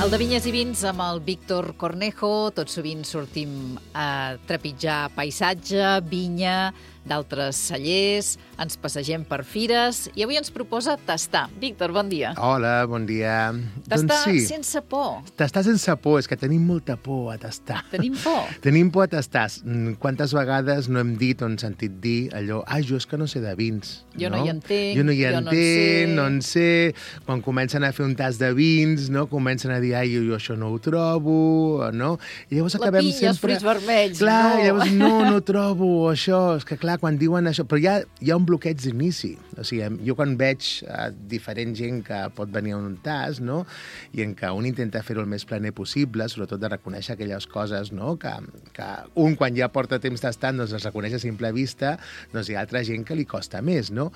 El de Vinyes i Vins amb el Víctor Cornejo. Tot sovint sortim a trepitjar paisatge, vinya, d'altres cellers, ens passegem per fires i avui ens proposa tastar. Víctor, bon dia. Hola, bon dia. Tastar sense por. Tastar sense por, és que tenim molta por a tastar. Tenim por? Tenim por a tastar. Quantes vegades no hem dit o hem sentit dir allò, jo és que no sé de vins. Jo no hi entenc, jo no hi entenc, no en sé. Quan comencen a fer un tas de vins, no? Comencen a dir, jo això no ho trobo, no? I llavors acabem sempre... La pinya, els fruits vermells, clar, no. Llavors no trobo això. És que clar, quan diuen això... Però hi ha un bloqueig d'inici. O sigui, jo quan veig diferent gent que pot venir a un tas, no? I en què un intenta fer-ho el més planer possible, sobretot de reconèixer aquelles coses, no? Que un, quan ja porta temps tastant, doncs les reconeix a simple vista, doncs hi ha altra gent que li costa més, no?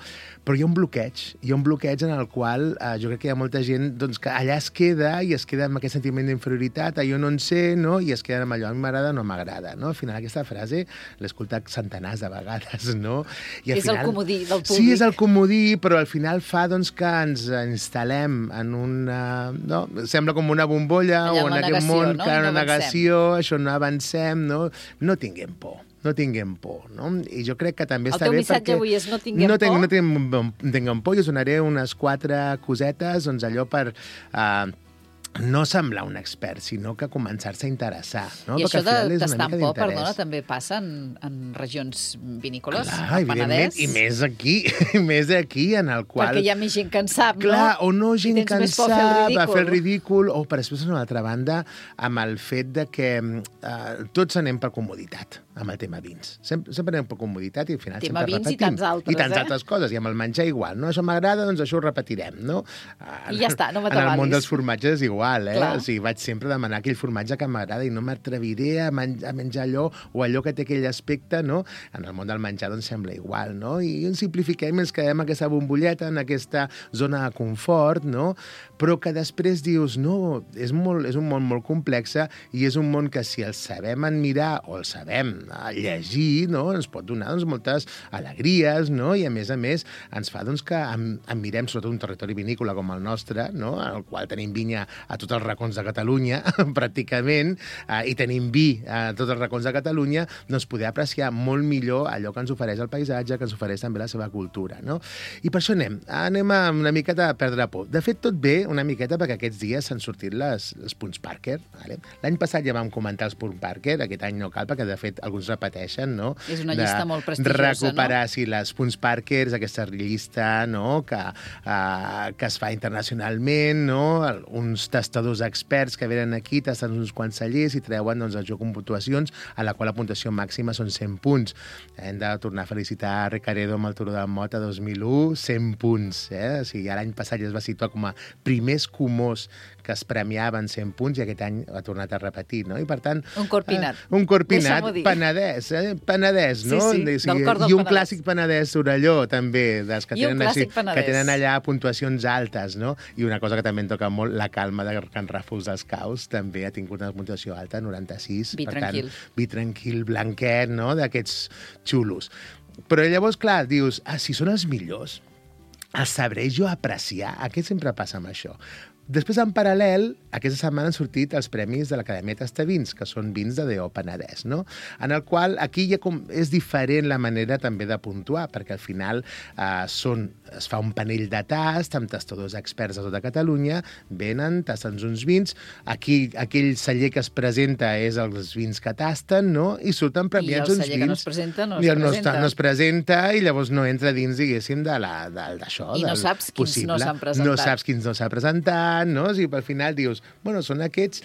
Però hi ha un bloqueig en el qual jo crec que hi ha molta gent doncs, que allà es queda i es queda amb aquest sentiment d'inferioritat, jo no en sé, no? I es queda amb allò, a mi m'agrada o no m'agrada, no? Al final aquesta frase l'he escoltat centenars de vegades, no? I al és final, el comodí del públic. Sí, és el comodí, però al final fa doncs, que ens instal·lem en una... No? Sembla com una bombolla allà o en aquest negació, món, no? que No una negació, això no avancem, no? No tinguem por. No tinguem por, no? I jo crec que també està bé perquè... El teu missatge avui és no tinguem por? No tinguem por, i us donaré unes 4 cosetes, doncs allò per... no semblar un expert, sinó que començar-se a interessar. No? I perquè això de tastar amb por, perdona, també passa en regions vinícoles, al Penedès. I més aquí, en el qual... Perquè hi ha més gent que en sap, no? Clar, o no gent que en sap, a fer el ridícul, o per després, d'una altra banda, amb el fet de que tots anem per comoditat, amb el tema vins. Sempre anem per comoditat i al final tema sempre vins repetim. I tants altres, I tants altres coses, i amb el menjar igual, no? Això m'agrada, doncs això ho repetirem, no? I ja està, no m'atabalis. En el món dels formatges és igual, Clar. O sigui, vaig sempre demanar aquell formatge que m'agrada i no m'atreviré a menjar allò o allò que té aquell aspecte, no? En el món del menjar, doncs, sembla igual, no? I ens simplifiquem, ens quedem en aquesta bombolleta, en aquesta zona de confort, no? Però que després dius, no, és un món molt complex i és un món que si el sabem admirar o el sabem llegir, no? Ens pot donar doncs, moltes alegries, no? I a més ens fa doncs, que admirem sobretot un territori vinícola com el nostre, no? En el qual tenim vinya a tots els racons de Catalunya, pràcticament, i tenim vi a tots els racons de Catalunya, doncs poder apreciar molt millor allò que ens ofereix el paisatge, que ens ofereix també la seva cultura, no? I per això anem a una miqueta a perdre por. De fet, tot bé una miqueta perquè aquests dies s'han sortit les punts Parker. Vale? L'any passat ja vam comentar els punts Parker, aquest any no cal, perquè de fet alguns repeteixen, no? És una llista molt prestigiosa, recuperar, sí, les punts Parker, aquesta llista, no?, que es fa internacionalment, no? Uns tastadors experts que venen aquí, tasten uns quants cellers i treuen doncs, el joc amb puntuacions, a la qual la puntuació màxima són 100 punts. Hem de tornar a felicitar Recaredo amb el Turó de Mota 2001, 100 punts. O sigui, l'any passat ja es va situar com a primers comós que es premiaven 100 punts i aquest any ha tornat a repetir, no? I per tant... Un corpinat. Un corpinat, Penedès, no? Sí, del cor del Penedès. I un clàssic Penedès Sorelló, també, dels que tenen allà puntuacions altes, no? I una cosa que també em toca molt, la calma de Can Ràfols dels Caus, també ha tingut una puntuació alta, 96. Vi tranquil. Vi tranquil, blanquet, no? D'aquests xulos. Però llavors, clar, dius, si són els millors, els sabré jo apreciar. Què sempre passa amb això? Després, en paral·lel, aquesta setmana han sortit els premis de l'Acadèmia Tastavins, que són vins de D.O. Penedès, no? En el qual aquí ja és diferent la manera també de puntuar, perquè al final es fa un panell de tast amb tastadors experts de tota Catalunya, venen, tasten uns vins, aquí aquell celler que es presenta és els vins que tasten, no? I surten premiats uns vins. I el celler que no es presenta no es presenta i llavors no entra dins, diguéssim, d'això. I no saps quins no s'han presentat. No saps quins no s'ha presentat, no? O sigui, al final dius, bueno, són aquests,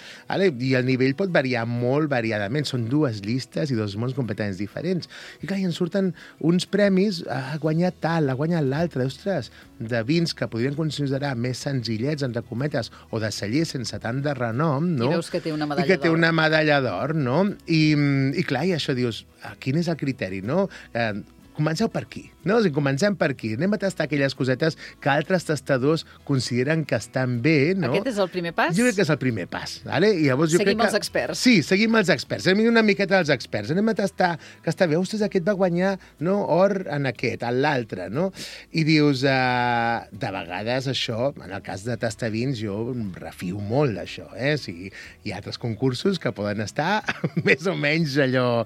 i el nivell pot variar molt variadament, són dues llistes i dos mons completament diferents. I clar, i en surten uns premis, ha guanyat tal, ha guanyat l'altre, ostres, de vins que podrien considerar més senzillets, entre cometes, o de cellers sense tant de renom, no? I veus que té una medalla d'or. I que té una medalla d'or, no? I clar, i això dius, quin és el criteri, no? Comenceu per aquí, no? O sigui, comencem per aquí. Anem a tastar aquelles cosetes que altres tastadors consideren que estan bé, no? Aquest és el primer pas? Jo crec que és el primer pas, vale? I llavors jo Seguim crec que... els experts. Sí, seguim els experts. Anem una miqueta als experts. Anem a tastar que està bé. Ostres, aquest va guanyar, no, or en aquest, en l'altre, no? I dius, de vegades això, en el cas de tastar vins, jo em refio molt d'això, eh? O sigui, hi ha altres concursos que poden estar més o menys allò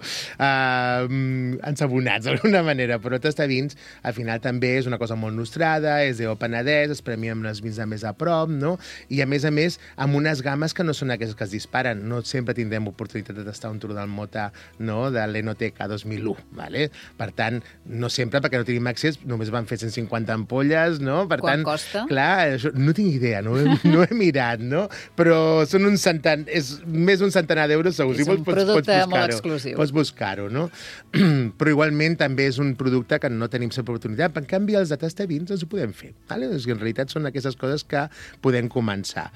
ensabonats d'alguna manera, però tastar vins al final també és una cosa molt nostrada, és de Penedès, es premia amb els vins de més a prop, no? I a més, amb unes games que no són aquestes que es disparen. No sempre tindrem oportunitat de tastar un Tour del Mota, no?, de l'Enoteca 2001, ¿vale? Per tant, no sempre, perquè no tenim accés, només van fer 150 ampolles, no? Per Quan tant, costa? Clar, això, no tinc idea, no he mirat, no? Però són és més d'un centenar d'euros, segur. És un producte molt exclusiu. Pots buscar-ho, no? Però igualment també és un producte que no tenim sempre oportunitat. En canvi, els de tastar vins els ho podem fer. Vale? En realitat són aquestes coses que podem començar.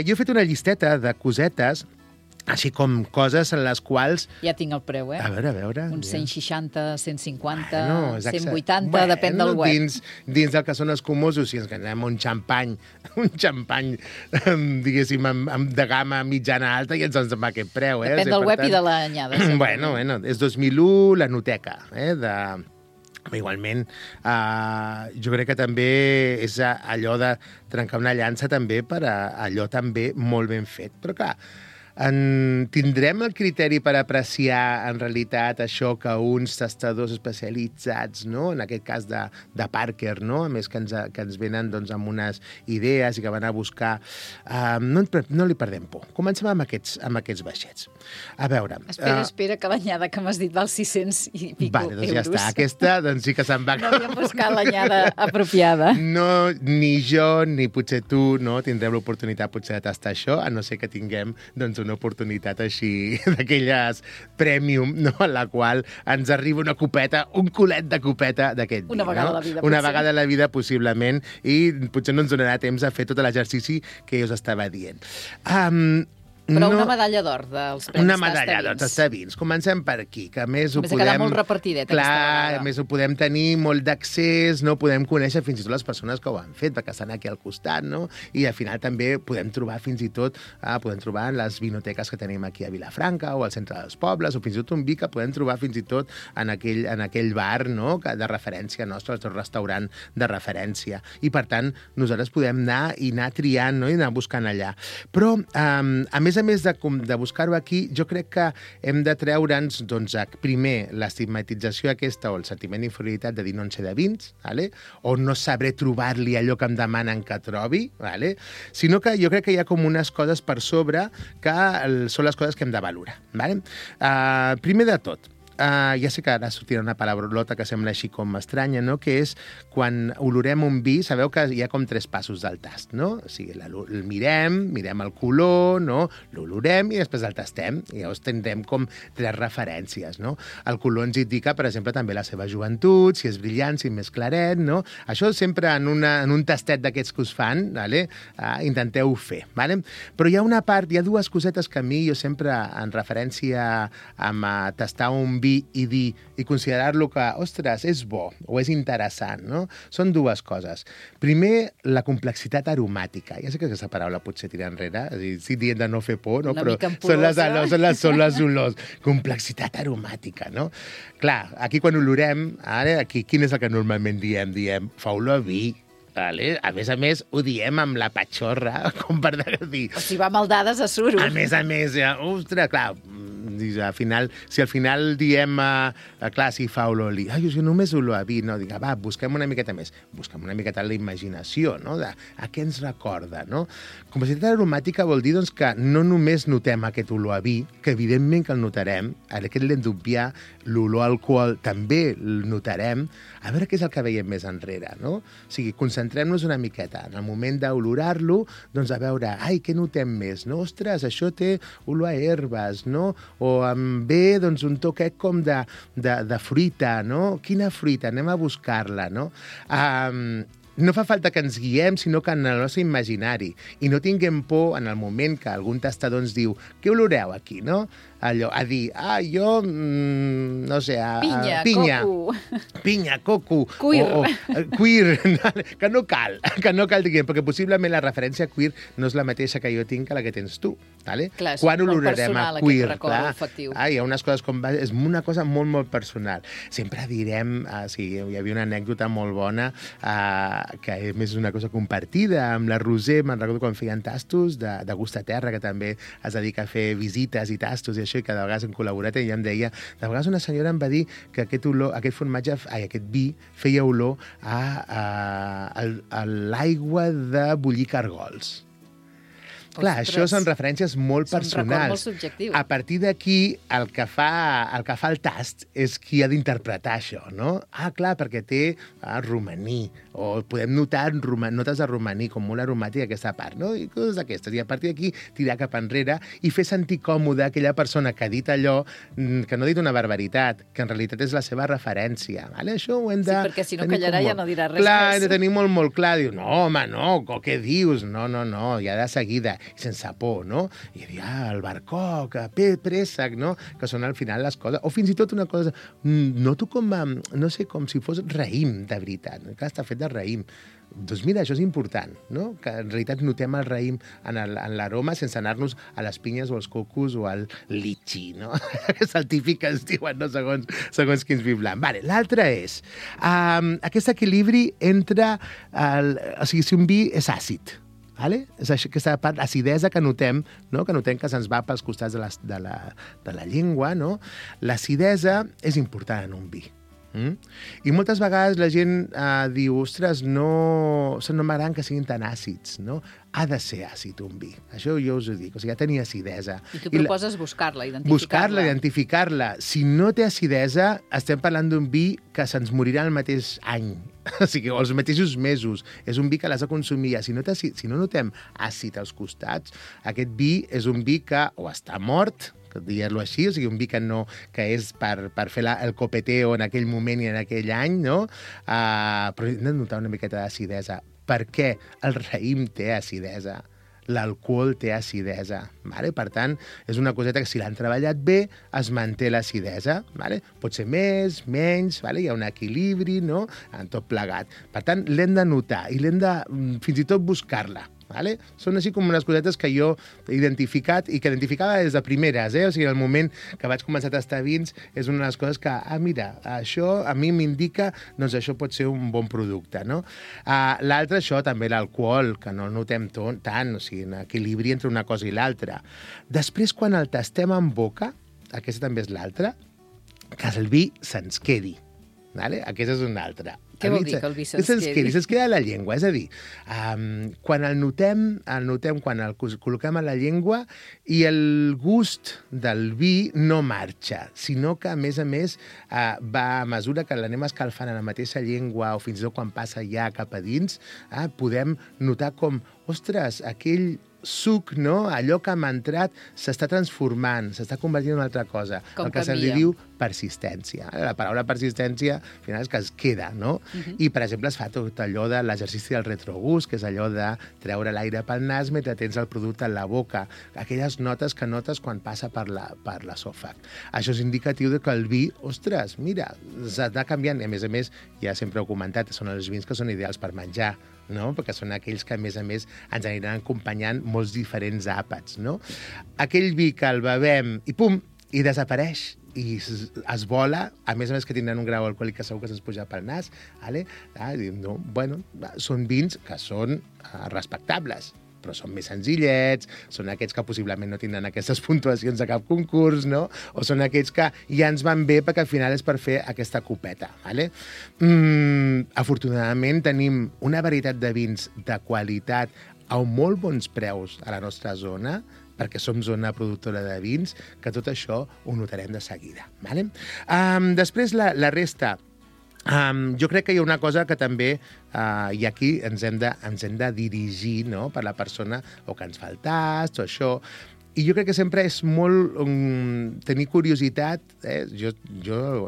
Jo he fet una llisteta de cosetes, així com coses en les quals... Ja tinc el preu, eh? A veure... Uns 160, 150, bueno, 180, depèn del web. Dins del que són escumosos, si ens anem un xampany, diguéssim, de gamma mitjana alta, i ens en va aquest preu, eh? Depèn del web i de l'anyada. Bueno, és 2001, la Noteca, Igualment, jo crec que també és allò de trencar una llança també per allò també molt ben fet. Però clar, tindrem el criteri per apreciar en realitat això que uns tastadors especialitzats, no? En aquest cas de Parker, no? A més que ens venen doncs, amb unes idees i que van a buscar... No li perdem por. Comencem amb aquests baixets. A veure... Espera, que l'anyada que m'has dit val 600 i pico euros. Doncs ja està. Aquesta doncs sí que se'n va... No havíem buscat l'anyada apropiada. No, ni jo, ni potser tu, no tindrem l'oportunitat potser de tastar això, a no ser que tinguem doncs, una oportunitat així d'aquelles premium, no? En la qual ens arriba una copeta, un culet de copeta d'aquest vi. Una vegada a la vida, Una vegada a la vida, possiblement, i potser no ens donarà temps a fer tot l'exercici que jo us estava dient. Però una medalla d'or dels premis Una medalla d'or tastar vins. Comencem per aquí, que a més ho podem... Més quedar molt repartidet aquesta vegada. A més ho podem tenir molt d'accés, no? Podem conèixer fins i tot les persones que ho han fet, perquè estan aquí al costat, no? I al final també podem trobar fins i tot, podem trobar en les vinoteques que tenim aquí a Vilafranca o al centre dels pobles, o fins i tot un vi que podem trobar fins i tot en aquell bar, no?, de referència nostra, el restaurant de referència. I per tant, nosaltres podem anar triant, no?, i anar buscant allà. Però, a més de buscar-ho aquí, jo crec que hem de treure'ns, doncs, primer, l'estigmatització aquesta o el sentiment d'inferioritat de dir no en sé de vins, ¿vale? O no sabré trobar-li allò que em demanen que trobi, ¿vale? Sinó que jo crec que hi ha com unes coses per sobre que són les coses que hem de valorar, ¿vale? Primer de tot, ja sé que ara sortirà una palabrolota que sembla així com estranya, no?, que és quan olorem un vi, sabeu que hi ha com 3 passos del tast, no? O sigui, el mirem el color, no?, l'olorem i després el tastem, i llavors tindrem com 3 referències, no? El color ens indica, per exemple, també la seva joventut, si és brillant, si és més claret, no? Això sempre en un tastet d'aquests que us fan, ¿vale? Intenteu fer, ¿vale? Però hi ha una part, hi ha 2 cosetes que a mi jo sempre, en referència a tastar un vi i considerar-lo que, ostres, és bo o és interessant, no? Són 2 coses. Primer, la complexitat aromàtica. Ja sé que aquesta paraula potser tira enrere, estic dient de no fer por, no? Però són les olors. Complexitat aromàtica, no? Clar, aquí quan olorem, aquí, quin és el que normalment diem? Diem, fa olor a vi. Vale? A més, ho diem amb la patxorra, com per dir... O si va maldades a suro. A més, ostres, clar, si al final diem, clar, si fa olor a li, jo només olor a vi, no, dic, va, busquem una miqueta més, busquem una miqueta la imaginació, no?, de a què ens recorda, no? Complexitat aromàtica vol dir, doncs, que no només notem aquest olor a vi, que evidentment que el notarem, aquest l'hem d'obviar, l'olor a alcohol també el notarem, a veure què és el que veiem més enrere, no? O sigui, concentrem-nos una miqueta. En el moment d'olorar-lo, doncs a veure, què notem més? No? Ostres, això té olor a herbes, no? O em ve, doncs, un toquet com de fruita, no? Quina fruita? Anem a buscar-la, no? No fa falta que ens guiem, sinó que en el nostre imaginari. I no tinguem por en el moment que algun tastador ens diu què oloreu aquí, no? allò, a dir, jo, no sé, pinya, coco. Pinya, coco. Queer. Queer, que no cal, diguem, perquè possiblement la referència a queer no és la mateixa que jo tinc que la que tens tu. Vale? Clar, és quan molt olorarem personal, a queer? aquest record olfactiu. Hi ha unes coses com... És una cosa molt, molt personal. Sempre direm... Sí, hi havia una anècdota molt bona que a més és una cosa compartida amb la Roser, me'n recordo quan feien tastos de gust a terra, que també es dedica a fer visites i tastos i això, i cada vegada hem col·laborat, i ella em deia... De vegades una senyora em va dir que aquest vi feia olor a l'aigua de bullir cargols. Clar, això són referències molt personals. Són records molt subjectius. A partir d'aquí, el que fa el tast és qui ha d'interpretar això, no? Clar, perquè té romaní, o podem notar notes de romaní, com molt aromàtica aquesta part, no? I coses d'aquestes. I a partir d'aquí, tirar cap enrere i fer sentir còmode aquella persona que ha dit allò, que no ha dit una barbaritat, que en realitat és la seva referència. Vale? Això ho hem de... Sí, perquè si no callarà ja no dirà res més. Clar, més. hem de tenir molt, molt clar. Diu, no, home, no, què dius? No, ja de seguida. I sense por, no? I dir, el barcoc, préssec, no? Que són al final les coses. O fins i tot una cosa, noto com, no sé, com si fos raïm, de veritat. Que està fet de raïm. Doncs mira, això és important, no? Que en realitat notem el raïm en l'aroma sense anar-nos a les pinyes o als cocos o al litxi, no? És el típic que es diuen, no? Segons quins vi blanc. Vale, l'altre és aquest equilibri entre... O sigui, si un vi és àcid, vale? És aquesta part d'acidesa que notem, no? Que notem que se'ns va pels costats de la llengua, no? L'acidesa és important en un vi. I moltes vegades la gent diu, ostres, no m'agraden que siguin tan àcids, no? Ha de ser àcid un vi. Això jo us ho dic. O sigui, ha de tenir acidesa. I tu proposes buscar-la, identificar-la. Buscar-la, identificar-la. Si no té acidesa, estem parlant d'un vi que se'ns morirà el mateix any. O sigui, els mateixos mesos. És un vi que l'has de consumir. Si no notem àcid als costats, aquest vi és un vi que o està mort, diguem-lo així, o sigui, un vi que és per fer el copeteo en aquell moment i en aquell any, no? Però hem de notar una miqueta d'acidesa. Per què? El raïm té acidesa. L'alcohol té acidesa. Vale? Per tant, és una coseta que si l'han treballat bé, es manté l'acidesa. Vale? Pot ser més, menys, vale? Hi ha un equilibri, no? En tot plegat. Per tant, l'hem de notar i l'hem de fins i tot buscar-la. Vale? Són així com unes cosetes que jo he identificat i que identificava des de primeres. O sigui, en el moment que vaig començar a tastar vins és una de les coses que, mira, això a mi m'indica, doncs això pot ser un bon producte, no? L'altre, això, també l'alcohol, que no el notem tant, o sigui, un equilibri entre una cosa i l'altra. Després, quan el tastem en boca, aquesta també és l'altra, que el vi se'ns quedi. Vale? Aquesta és una altra. Què vol dir que el vi se'ns quedi? Se'ns queda a la llengua, és a dir, quan el notem, quan el col·loquem a la llengua i el gust del vi no marxa, sinó que, a més, va a mesura que l'anem escalfant a la mateixa llengua o fins i tot quan passa ja cap a dins, podem notar com, ostres, aquell suc, no? Allò que hem entrat s'està transformant, s'està convertint en una altra cosa. Com el que se li diu persistència. La paraula persistència, al final, és que es queda, no? I, per exemple, es fa tot allò de l'exercici del retrogust, que és allò de treure l'aire pel nas mentre tens el producte en la boca. Aquelles notes que notes quan passa per l'esòfag. Això és indicatiu de que el vi, ostres, mira, s'està canviant. I, a més, ja sempre ho he comentat, són els vins que són ideals per menjar, no? Perquè són aquells que, a més, ens aniran acompanyant molts diferents àpats, no? Aquell vi que el bevem i pum, i desapareix, i es vola, a més que tindran un grau alcohòlic que segur que se'ns puja pel nas, vale? No, bueno, són vins que són respectables, però són més senzillets, són aquests que possiblement no tindran aquestes puntuacions de cap concurs, no? O són aquests que ja ens van bé perquè al final és per fer aquesta copeta, vale? Afortunadament tenim una varietat de vins de qualitat a molt bons preus a la nostra zona, perquè som zona productora de vins, que tot això ho notarem de seguida. Vale? Després, la resta. Jo crec que hi ha una cosa que també, i aquí ens hem de dirigir, no?, per la persona o que ens fa el tast o això. I jo crec que sempre és molt tenir curiositat, jo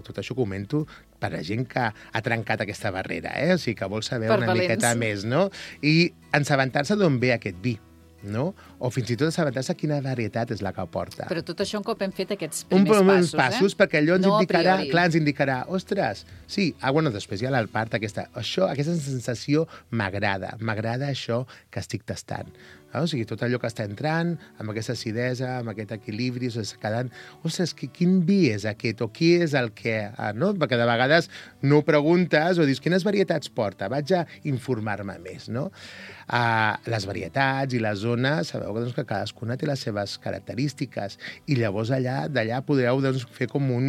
tot això comento per a gent que ha trencat aquesta barrera, o sigui, que vol saber una miqueta més, no? I assabentar-se d'on ve aquest vi. no? O fins i tot assabentar-se quina varietat és la que porta. Però tot això un cop hem fet aquests primers passos, perquè allò ens indicarà, clar, ens indicarà, ostres, sí, bueno, després hi ha la part aquesta sensació m'agrada això que estic tastant. O sigui, tot allò que està entrant, amb aquesta acidesa, amb aquest equilibri, quedant, ostres, quin vi és aquest, o qui és el què, no? Perquè de vegades no ho preguntes o dius, quines varietats porta? Vaig a informar-me més, no? Les varietats i les zones, sabeu que cadascuna té les seves característiques, i llavors d'allà podreu fer com un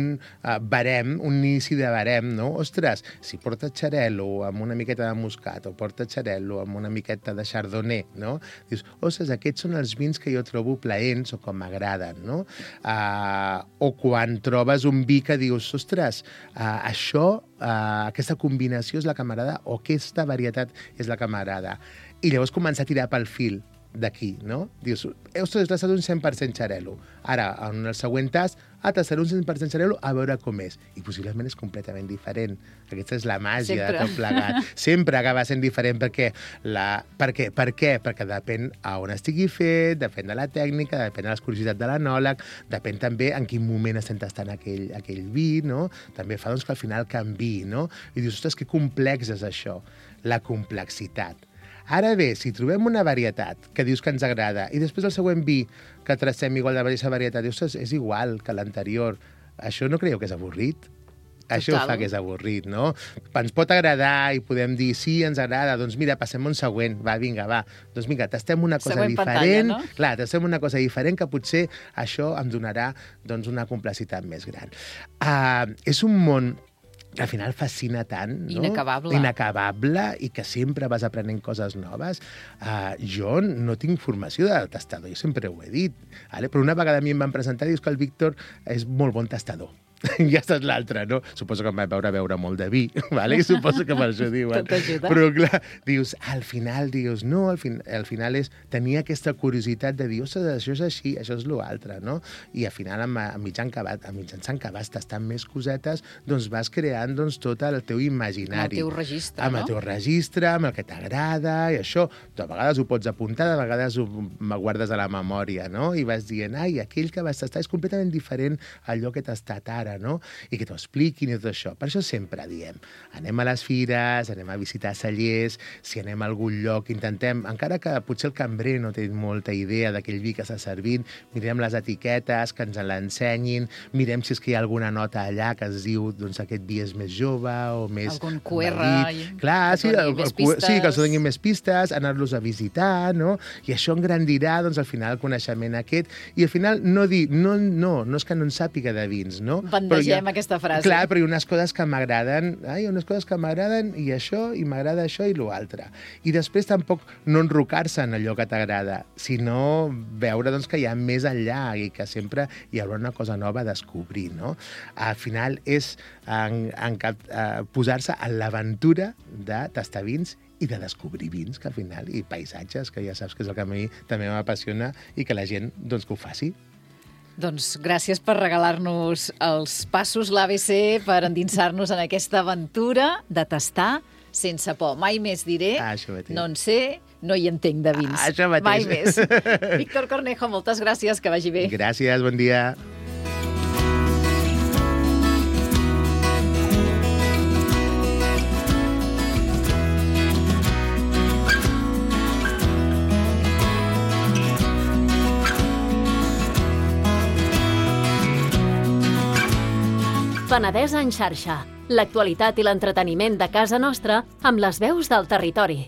barem, un inici de barem, no? Ostres, si porta xarel·lo amb una miqueta de moscat, o porta xarel·lo amb una miqueta de chardonnay, no? Dius, ostres, aquests són els vins que jo trobo plaents o com m'agraden, no? O quan trobes un vi que dius, ostres, aquesta combinació és la que m'agrada o aquesta varietat és la que m'agrada. I llavors començar a tirar pel fil d'aquí, no? Dius, ostres, he tastat un 100% xarel·lo. Ara, en el següent tast, tastaré un 100% xarel·lo a veure com és. I possiblement és completament diferent. Aquesta és la màgia de tot plegat. Sempre acaba sent diferent perquè... Per què? Perquè depèn a on estigui fet, depèn de la tècnica, depèn de l'escurositat de l'anòleg, depèn també en quin moment estem tastant aquell vi, no? També fa que al final canviï, no? I dius, ostres, que complex és això, la complexitat. Ara bé, si trobem una varietat que dius que ens agrada i després el següent vi que tracem igual de la mateixa varietat, dius, és igual que l'anterior, això no creieu que és avorrit? Això fa que és avorrit, no? Ens pot agradar i podem dir, sí, ens agrada, doncs mira, passem un següent, vinga. Doncs vinga, tastem una cosa diferent. Clar, tastem una cosa diferent que potser això em donarà una complexitat més gran. És un món que al final fascina tant, no? Inacabable, i que sempre vas aprenent coses noves. Jo no tinc formació de tastador, jo sempre ho he dit, però una vegada a mi em van presentar i dius que el Víctor és molt bon tastador. I aquesta és l'altra, no? Suposo que em va veure molt de vi, i suposo que per això diuen. Tot ajuda. Però clar, dius, al final al final és tenir aquesta curiositat de dir, ostres, això és així, això és l'altre, no? I al final, mitjançant que vas tastant més cosetes, doncs vas creant tot el teu imaginari. Amb el teu registre, no? Amb el teu registre, amb el que t'agrada, i això. De vegades ho pots apuntar, de vegades ho guardes a la memòria, no? I vas dient, aquell que vas tastar és completament diferent a allò que t'ha tastat ara, no? I que t'ho expliquin i tot això. Per això sempre diem, anem a les fires, anem a visitar cellers, si anem a algun lloc, intentem, encara que potser el cambrer no té molta idea d'aquell vi que està servint, mirem les etiquetes, que ens l'ensenyin, mirem si és que hi ha alguna nota allà que es diu, doncs aquest vi és més jove o més... Algun QR. Clar, sí, que els donin més pistes, anar-los a visitar, no? I això engrandirà, doncs, al final, el coneixement aquest. I al final no dir, no és que no en sàpiga de vins, no? Bandegem aquesta frase. Clar, però hi ha unes coses que m'agraden, i això, i m'agrada això i l'altre. I després tampoc no enrocar-se en allò que t'agrada, sinó veure que hi ha més enllà i que sempre hi haurà una cosa nova a descobrir, no? Al final és posar-se en l'aventura de tastar vins i de descobrir vins, que al final, i paisatges, que ja saps que és el que a mi també m'apassiona, i que la gent que ho faci. Doncs gràcies per regalar-nos els passos, l'ABC, per endinsar-nos en aquesta aventura de tastar sense por. Mai més diré, no en sé, no hi entenc de vins. Això mateix. Mai més. Víctor Cornejo, moltes gràcies, que vagi bé. Gràcies, bon dia. Penedès en xarxa. L'actualitat i l'entreteniment de casa nostra amb les veus del territori.